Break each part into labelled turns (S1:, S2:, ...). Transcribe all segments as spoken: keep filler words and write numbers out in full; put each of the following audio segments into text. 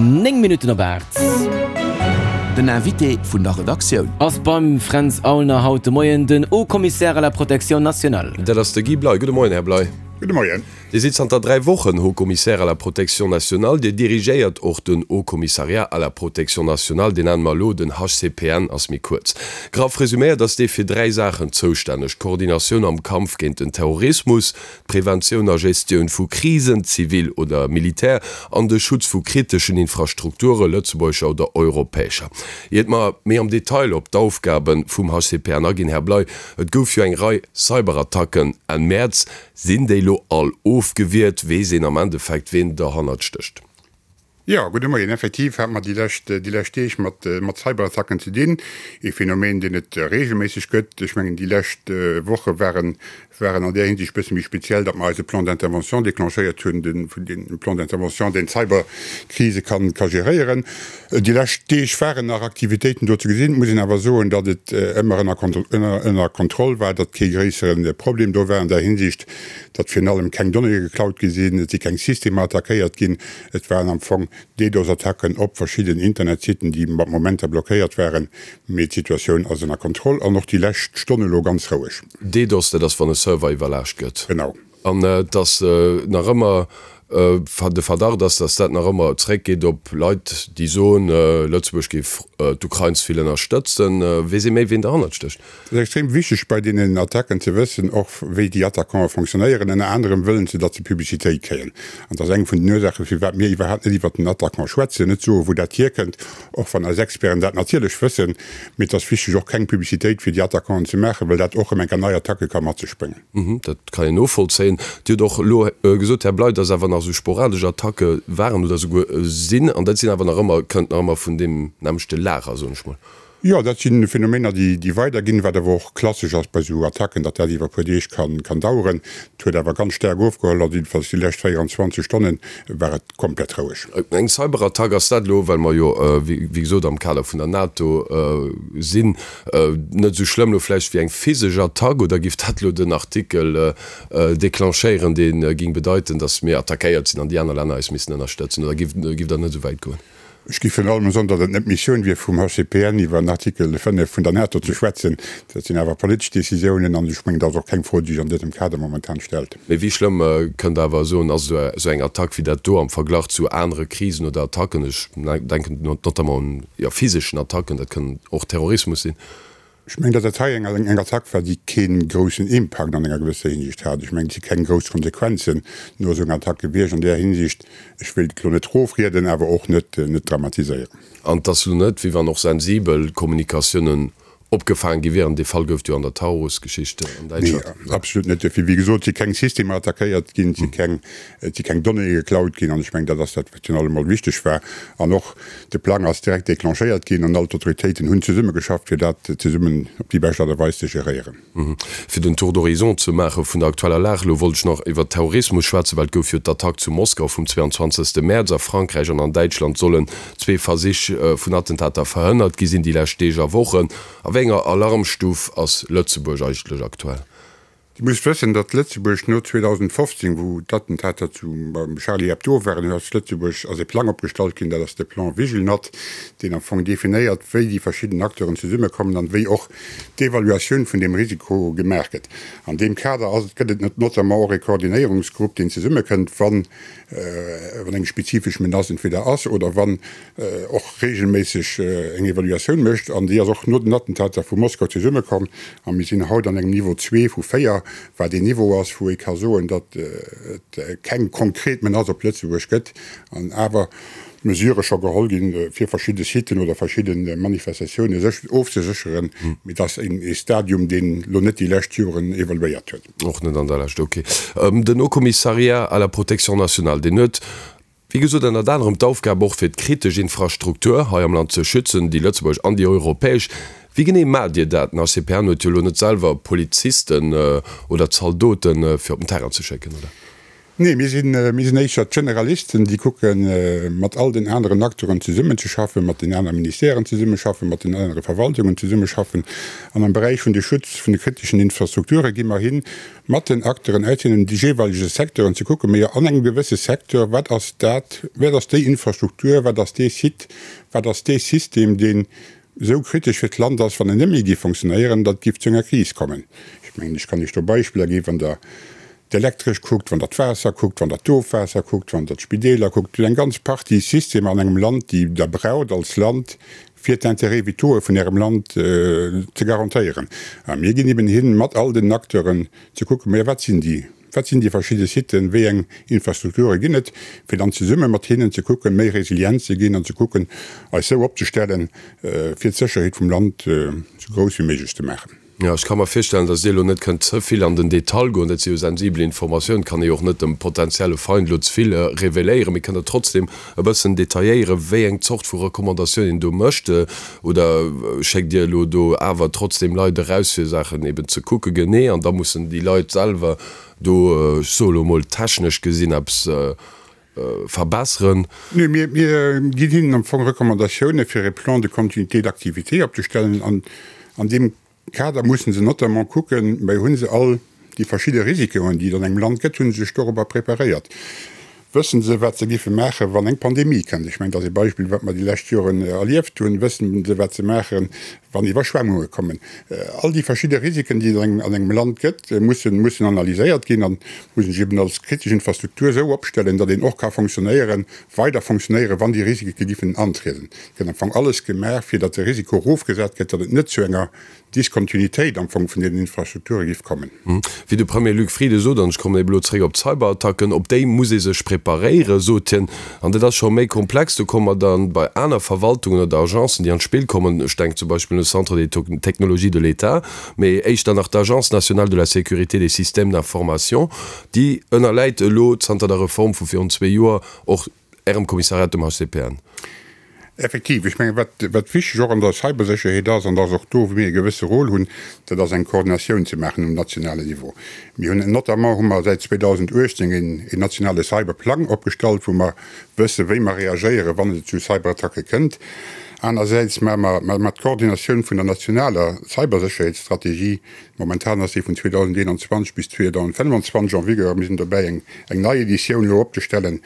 S1: Néng Minutten op aacht.
S2: Den Invité vun der Redaktioun.
S1: Ass beim Fränz Aulner haut de Moien den Haut Commissaire à la Protection nationale.
S3: Dat ass de Guy Bley. Gudde Moien, Här Bley.
S4: Gudde Moien.
S3: Dir sidd zanter dräi Wochen Haut Commissaire à la Protection nationale. Dir dirigéiert och den Haut Commissariat à la Protection nationale, deen nenne mer elo den H C P N, ass méi kuerz. Graff resuméiert ass dee fir dräi Saachen zoustänneg, d'Koordinatioun am Kampf géint den Terrorismus, d'Preventioun a Gestioun vu Krisen, zivil oder militär, an de Schutz vu kriteschen Infrastrukture, lëtzebuergescher oder europäescher. Iert mer méi am Detail op d'Aufgabe vum H C P N aginn, Här Bley, et gouf jo eng Rei Cyberattacken Enn Mäerz. Sinn déi elo all ofgewiert? Weess een am Endeffekt, ween derhannert stécht?
S4: Jo, gudde Moien. Effektiv hate mer déi lescht, déi lescht Deeg mat, mat Cyberattacken ze dinn. Ee Phänomen, deen et reegelméisseg gëtt. Ech mengen, déi lescht Woche waren, waren an där Hinsicht e bësse méi speziell, datt mer eise Plan d'intervention déclenchéiert hunn, den, den Plan d'intervention, deen d'Cyberkrise kann, ka geréieren. Déi lescht Deeg waren nach Aktivitéiten do ze gesinn. Et muss een awer soen, datt et ëmmer ënner, ënner, ënner Kontroll war, datt kee gréissere Problem do war an där Hinsicht, datt virun allem keng Donnéeë geklaut gi sinn, et si keng Systemer attackéiert ginn. Et waren am Fong D DoS-Attacken op verschidden Internetsitten, déi mat Momenter blockéiert waren, mee d'Situatioun ass ënner Kontroll an och déi lescht Stonn elo ganz roueg.
S3: D DoS, dat ass wann e Server iwwerlaascht gëtt.
S4: Genau.
S3: An et ass nach ëmmer de Verdacht ass, datt dat nach ëmmer zréckgeet op Leit, déi soen, Lëtzebuerg géif d'Ukrain ze vill ënnerstëtzen. Weess ee méi, wien derhannert stécht?
S4: Et ass extrem wichteg bei deenen Attacken ze wëssen och, wéi déi Attaquanten fonctionnéieren. Ënner anerem wëllen se, datt se Publicitéit kréien. An dat ass eng vun den Ursaachen, firwat mir iwwerhaapt net iwwert den Attaquant schwätzen, net soen, wou dat hierkënnt, och wann eis Experten dat natierlech wëssen. Mee et ass wichteg och keng Publicitéit fir déi Attaquanten ze maachen, well dat och erëm eng Kéier nei Attacke ka mat sech bréngen.
S3: Dat kann een novollzéien. Dir hutt och elo gesot, Här Bley, dass awer nach esou sporadesch Attacke waren oder esouguer sinn, an dat sinn awer nach ëmmer, kënnt nach ëmmer vun deem nämmlechte Lager, soen ech mol.
S4: Jo, dat si Phänomener, déi, déi weiderginn, wat awer och klassesch ass bei esou Attacken, datt dat iwwer e puer Deeg kann, kann daueren. Et huet awer ganz staark ofgeholl, also jiddefalls déi lescht véierundzwanzeg Stonne war et komplett roueg.
S3: Eng Cyberattack, ass dat elo, well mer jo, wéi gesot, am Kader vun der NATO sinn, net esou schlëmm elo vläicht wéi eng physesch Attack, oder giff dat elo den Artikel declenchéieren, dee ging bedeiten, datt mir attackéiert sinn an déi aner Länner eis missten ënnerstëtzen, oder giff Der net esou wäit goen?
S4: Ech géif virun allem soen, datt et net d'Missioun wier vum H C P N iwwer en Artikel fënnef vun der NATO ze schwätzen. Dat sinn awer politesch Décisiounen an ech mengen, dat ass och keng Fro, déi sech an dësem Kader momentan stellt.
S3: Mee wéi schlëmm, kënnt Der awer soen, ass esou eng Attack wéi dat do am Verglach zu anere Krisen oder Attacken? Ech denken notamment un, jo, physeschen Attacken, dat kënn och Terrorismus sinn.
S4: Ech mengen, datt dat hei eng eng Attack war, déi kee groussen Impakt an enger gewësser Hinsicht hat. Ech mengen, et si keng grouss Konsequenzen no esou enger Attack gewiescht an där Hinsicht. Ech wéilt et elo net erofrieden, awer och net net dramatiséieren.
S3: An et ass elo net, wéi wann och sensibel Kommunikatiounen opgefaange gi wieren. Dee Fall gouf et jo an der Taurus-Geschicht an Däitschland.
S4: Nee, absolut net. Duerfir, wéi gesot, si keng Systemer attackéiert ginn, et si keng et si keng Donnéeë geklaut ginn. An ech mengen, dat ass dat, wat virun allem mol wichteg war. An och de Plang ass direkt declenchéiert ginn an all d'Autoritéiten hunn zesummegeschafft, fir dat zesummen op déi bescht Aart a Weis ze geréieren.
S3: Fir den Tour d'horizon ze maache vun der aktueller Lag, elo wollt ech nach iwwert Terrorismus schwätzen, well et gouf jo d'Attack zu Moskau vum zweiandzwanzegste Mäerz. A Frankräich an an Däitschland sollen zwee Versich vun Attentater verhënnert gi sinn déi lescht Deeg a Wochen. A wéi enger Alarmstuf ass Lëtzebuerg eigentlech aktuell?
S4: Dir musst wëssen, datt Lëtzebuerg no zweedausendfofzéng, wou d'Attentater zu beim Charlie Hebdo waren, ass Lëtzebuerg, ass e Plang opgestallt ginn, dat ass de Plan Vigelnat, deen am Fong definéiert, wéi déi verschidden Acteuren zesummekommen an wéi och d'Evaluatioun vun deem Risiko gemaach gëtt. An deem Kader ass, gëtt et notamment och e Koordinéierungsgrupp, deen zesummekënnt, wann wann eng spezifesch Menace entweder ass oder wann och reegelméisseg eng Evaluatioun mécht. An déi ass och no den Attentater vu Moskau zesummekomm. A mir sinn haut an engem Niveau zwee vu véier, wat een Niveau ass, wou ee ka soen, datt et keng konkret Menace op Lëtzebuerg gëtt an awer Mesurë scho geholl ginn, fir verschidde Siten oder verschidde Manifestatioune sech ofzesécheren. Mee et ass ee Stadium, deen elo net déi lescht Joren evoluéiert huet.
S3: Och net an der Lescht, ok. Den Haut Commissariat à la protection nationale, deen huet, wéi gesot, ënnert anerem d'Aufgab och fir d'kritesch Infrastruktur hei am Land ze schützen, déi lëtzebuergesch an déi europäesch. Wéi genee maacht Dir dat? Den H C P N huet jo elo net selwer Polizisten oder Zaldoten, fir op den Terrain ze schécken, oder?
S4: Nee, mir sinn, mir sinn éischter d'Generalisten, déi kucken, mat all den aneren Acteuren zesummenzeschaffen, mat den aner Ministèren zesummeschaffen, mat den anere Verwaltungen zesummeschaffen. An am Beräich vun de Schutz vun de kriteschen Infrastrukture gi mer hin, mat den Acteuren aus deenen jeeweilege Secteuren ze kucken, Majo, an engem gewësse Secteur, wat ass dat, wat ass déi Infrastruktur, wat ass dee Site, wat ass dee System, deen esou kritesch fir d'Land ass, wann en net méi géif fonctionnéieren, datt et géif zu enger Kris kommen. Ech mengen, ech kann Iech do Beispiller ginn, wann Der d'Elektresch kuckt, wann Der d'Waasser kuckt, wann Der d'Ofwaasser kuckt, wann Der d'Spideeler kuckt, et gëtt eng ganz Partie Systemer an engem Land, déi Der braucht als Land, fir d'Intérêts vitaux vun Ärem Land ze garantéieren. A mir ginn eben hin, mat all den Acteuren ze kucken, Majo, wat sinn déi, wat sinn déi verschidde Siten, wéi eng Infrastrukture ginn et, fir dann zesumme mat hinnen ze kucken, méi resilient ze ginn an ze kucken, eis esou opzestellen, fir d'Sécherheet vum Land esou grouss wéi méiglech ze maachen.
S3: Jo, ech ka mer virstellen, datt Dir elo net kënnt ze vill an den Detail goen. Dat si jo sensibel Informatiounen, kann ee jo och net dem potenzielle Feind elo ze vill reveléieren. Mee kënnt Der trotzdem e bëssen detailléieren, wéi eng Zort vu Recommandatioun een do mécht? Oder schéckt Dir elo do awer trotzdem Leit eraus, fir Saachen eben ze kucke genee, an da mussen déi Leit selwer do, ech soe elo emol, technesch gesinn eppes verbesseren?
S4: Nee, mir ginn hinnen am Fong Recommandatioune fir e Plan de continuité d'activité opzestellen an an deem Kader mussen se notamment kucken, mä hu se all déi verschidde Risikoen, déi et an engem Land gëtt, hu se sech dorobber preparéiert? Wëssen se, wat se géife maachen, wann eng Pandemie kënnt? Ech mengen, dat ass e Beispill, wat mer déi lescht Joren erlieft hunn. Wëssen se, wat se maachen, wann Iwwerschwemmunge kommen? All déi verschidde Risiken, déi et an engem Land gëtt, mussen mussen analyséiert ginn a mussen sech eben als kritesch Infrastruktur esou opstellen, datt een och ka fonctionnéieren, weider fonctionnéieren, wann déi Risike giffen antrieden. Et gëtt am Fong alles gemaach, fir datt de Risiko erofgesat gëtt, datt et net zu enger Diskontinuitéit am Fong vun deenen Infrastrukture giff kommen.
S3: Wéi de Premier Luc Frieden sot, an ech kommen ebe lo zréck op d'Cyberattacken, op déi muss ee sech preparéieren, sot hien. An dat ass scho méi komplex. Do komme mer dann bei aner Verwaltungen oder Agencen, déi an d'Spill kommen. Ech denken zum Beispill un de Centre des technologies de l'État, mee éischter nach d'Agence nationale de la sécurité des systèmes d'information, déi ënnerläit elo zanter der Reform vu virun zwee Joer och Ärem Kommissariat, dem H C P N.
S4: Effektiv, ech mengen, wat, wat wichteg och an der Cybersécherheet ass, an dat ass och do, wou mir e gewësse Rôle hunn, dat ass eng Koordinatioun ze maachen um nationalen Niveau. Mir hunn notamment hu mer säit zweedausenduechtzéng een, een nationale Cyberplang opgestallt, wou mer wëssen, wéi mer reagéieren, wann et zu Cyberattacke kënnt. Anersäits maache mer, maache mer d'Koordinatioun vun der nationaler Cybersécherheetsstrategie. Momentan ass déi vun zweedausendeenanzwanzeg bis zweedausendfënnwanzwanzeg en vigueur. Mir sinn dobäi, eng, eng nei Editioun elo opzestellen.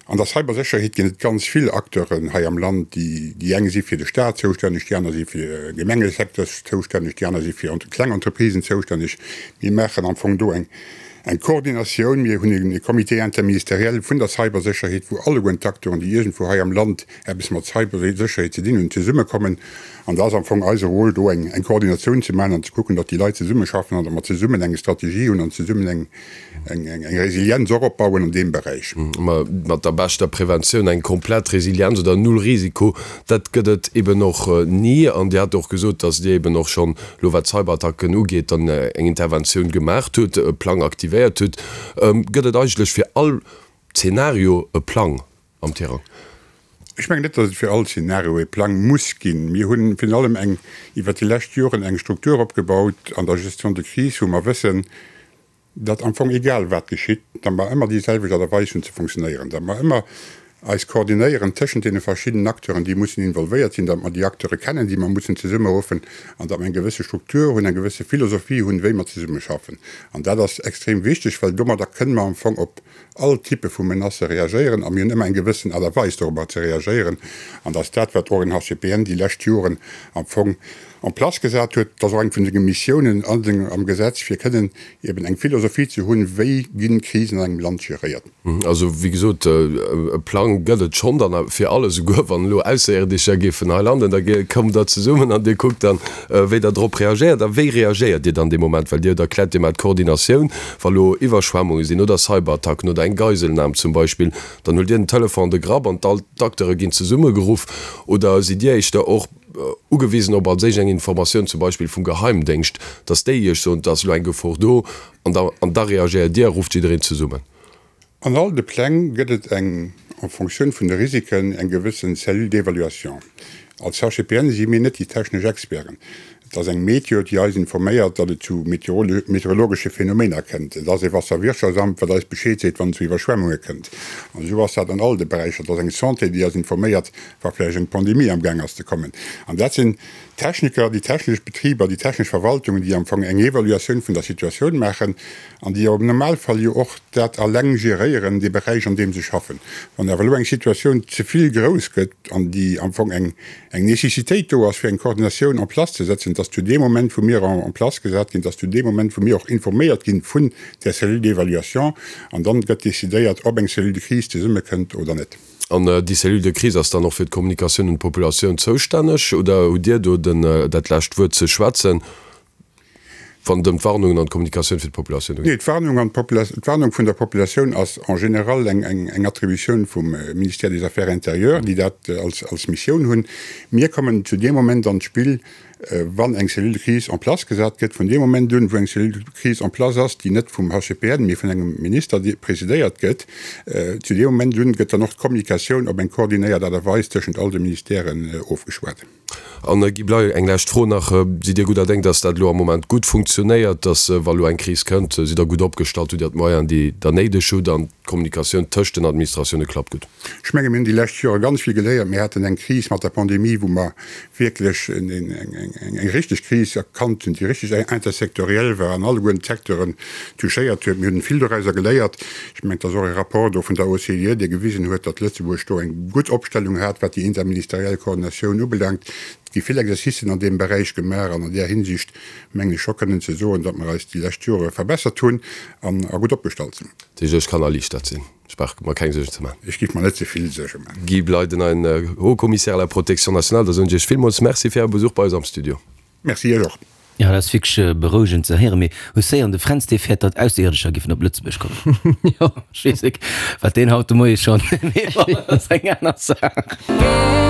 S4: An der Cybersécherheet ginn et ganz vill Acteuren hei am Land. Déi eng si fir de Staat zoustänneg, déi aner si fir de Gemengesecteur zoustänneg, déi aner si fir kleng Entreprisen zoustänneg. Mir maachen am Fong do eng Koordinatioun. Mir hunn e Comité interministériel vun der Cybersécherheet, wou alleguerten d'Acteuren, déi iergendwou hei am Land eppes mat Cybersécherheet ze dinn hunn, zesummekommen. An da ass am Fong eise Rôle do, eng Koordinatioun ze maachen an ze kucken, datt déi Leit zesummeschaffen an datt mer zesummen eng Strategie hunn an zesummen eng eng Resilienz och opbauen an deem Beräich.
S3: Mä mat der beschter Preventioun, eng komplett Resilienz oder null Risiko, dat gëtt et eben och ni. An Dir hat och gesot, datt Dir eben och schonn elo, wat d'Cyberattacken ugeet, dann eng Interventioun gemaacht hutt, e Plang aktivéiert hutt. Gëtt et eigentlech fir all Zeenario e Plang am Tirang?
S4: Ech mengen net, datt et fir all Zeenario e Plang muss ginn. Mir hunn virun allem eng iwwert déi lescht Joren eng Struktur opgebaut an der Gestion de crise, wou mer wëssen, datt am Fong egal wat geschitt, datt mer ëmmer déi selwecht Aart a Weis hunn ze funktionéieren, datt mer ëmmer eis koordinéieren tëschent deene verschiddenen Acteuren, déi mussen involvéiert sinn, datt mer déi Acteure kennen, déi mer mussen zesummeruffen, an datt mer eng gewësse Struktur hunn, eng gewësse Philosophie hunn, wéi mer zesummeschaffen. An dat ass extrem wichteg, well domadder kënne mer am Fong op all Typpe vu Menacë reagéieren a mir hunn ëmmer eng gewëssen Aart a Weis dorobber ze reagéieren. An dat ass dat, wat och en H C P N déi lescht Joren am Fong en place gesat huet. Dat ass och eng vun senge Missiounen an sengem, am Gesetz, fir kënnen eben eng Philosophie ze hunn, wéi ginn Krisen an engem Land geréiert.
S3: Also, wéi gesot, e Plang gëtt et schonn dann fir alles, esouguer wann elo Ausserierdescher géifen hei landen, da kommt Der zesummen an Dir kuckt dann, wéi Der drop reagéiert. A wéi reagéiert Dir dann dee Moment? Well Dir hutt erkläert, Dir maacht d'Koordinatioun, wa lo Iwwerschwemmunge sinn oder Cyberattacken oder eng Geiselnam zum Beispill, dann huelt Dir den Telefon an de Grapp an all d'Acteure ginn zesummegeruff. Oder sidd Dir éischter och ugewisen op als éischt eng Informatioun zum Beispill vum Geheimdéngscht, dass déi Iech soen, et ass elo eng Gefor do, an da an da reagéiert Dir a rufft jiddereen zesummen?
S4: An all de Pläng gëtt et eng, en Fonctioun vun de Risiken, eng gewëssen Cellule d'évaluation. Als H C P N si mir net déi technesch Experten. Et ass eng Meteo, déi eis informéiert, datt et zu meteorologesche Phänomener kënnt. Et ass e Wasserwirtschaftsamt, wat eis Bescheed seet, wann et zu Iwwerschwemmunge kënnt. An esou ass dat an all de Beräicher. Et ass eng Santé, déi eis informéiert, wa vläicht eng Pandemie amgaang ass ze kommen. An dat sinn d'Techniker, déi technesch Betriber, déi technesch Verwaltungen, déi am Fong eng Evaluatioun vun der Situatioun maachen an déi am Normalfall jo och dat alleng geréieren, dee Beräich, an deem se schaffen. Wann awer elo eng Situatioun ze vill grouss gëtt an déi am Fong eng eng Nécessitéit do ass, fir eng Koordinatioun en place ze setzen, dass zu deem Moment, wou mir en place gesat ginn, dass zu deem Moment, wou mir och informéiert ginn vun där Cellule d'évaluation, an dann gëtt décidéiert, ob eng Cellule de crise zesummekënnt oder net.
S3: An déi Cellule de crise ass dann och fir d'Kommunikatioun un d'Populatioun zoustänneg, oder hutt Dir do den, dat lescht Wuert ze schwätzen, wann et ëm d'Warnungen an d'Kommunikatioun fir d'Populatioun
S4: geet? Nee, d'Warnung an d'Warnung vun der Populatioun ass en général eng, eng, eng Attributioun vum Ministère des Affaires intérieures, déi dat als, als Missioun hunn. Mir kommen zu deem Moment an d'Spill, wann eng Cellule de crise en place gesat gëtt, vun deem Moment un, wou eng Cellule de crise en place ass, déi net vum HCPN, mee vun engem Minister presidéiert gëtt, zu deem Moment un gëtt dann och d'Kommunikatioun op eng koordinéiert Aart a Weis tëschent all de Ministèren ofgeschwat.
S3: An, Guy Bley, eng lescht Fro nach, Sidd Dir gudder Déng, dass dat elo am Moment gutt funktionéiert, dass, wa elo eng Kris kënnt, sidd Der gutt opgestallt, hutt Dir d'Moyenen, déi Der néideg hutt an d'Kommunikatioun tëscht den Administratioune klappt gutt?
S4: Ech menge mir hunn déi lescht Jore ganz vill geléiert. Mir haten eng Kris mat der Pandemie, wou mer wierklech eng richteg Kris erkannt hunn, déi richteg intersektoriell war an alleguerten d'Secteuren touchéiert huet. Mir hunn vill dorauser geléiert. Ech mengen, et ass och e Rapport do vun der OCDE, dee gewisen huet, datt Lëtzebuerg do eng gutt Opstellung hat, wat déi interministeriell Koordinatioun ubelaangt. Et gi vill Exercicen an deem Beräich gemaach an an där Hinsicht mengen ech scho kënnen ze soen, datt mer eis déi lescht Jore verbessert hunn an a gutt opgestallt sinn.
S3: Dat heescht, ech kann erliichtert sinn. Ech brauch mer keng Suergen ze maachen.
S4: Ech géif mer net ze vill Suerge maachen.
S3: Guy Bley, den neien Haut-Commissaire à la protection nationale, da soen ech Iech villmools Merci fir Äre Besuch bei eis am Studio.
S4: Merci Iech och.
S1: Jo, dat ass wierklech berouegend ze héieren. Mee hues héieren, de Fränz, dee fäert, datt Ausserierdescher giffen op Lëtzebuerg kommen. Jo, ech weess nik, wat deen haut de Moie schonn, mee bon, dat ass eng aner Saach.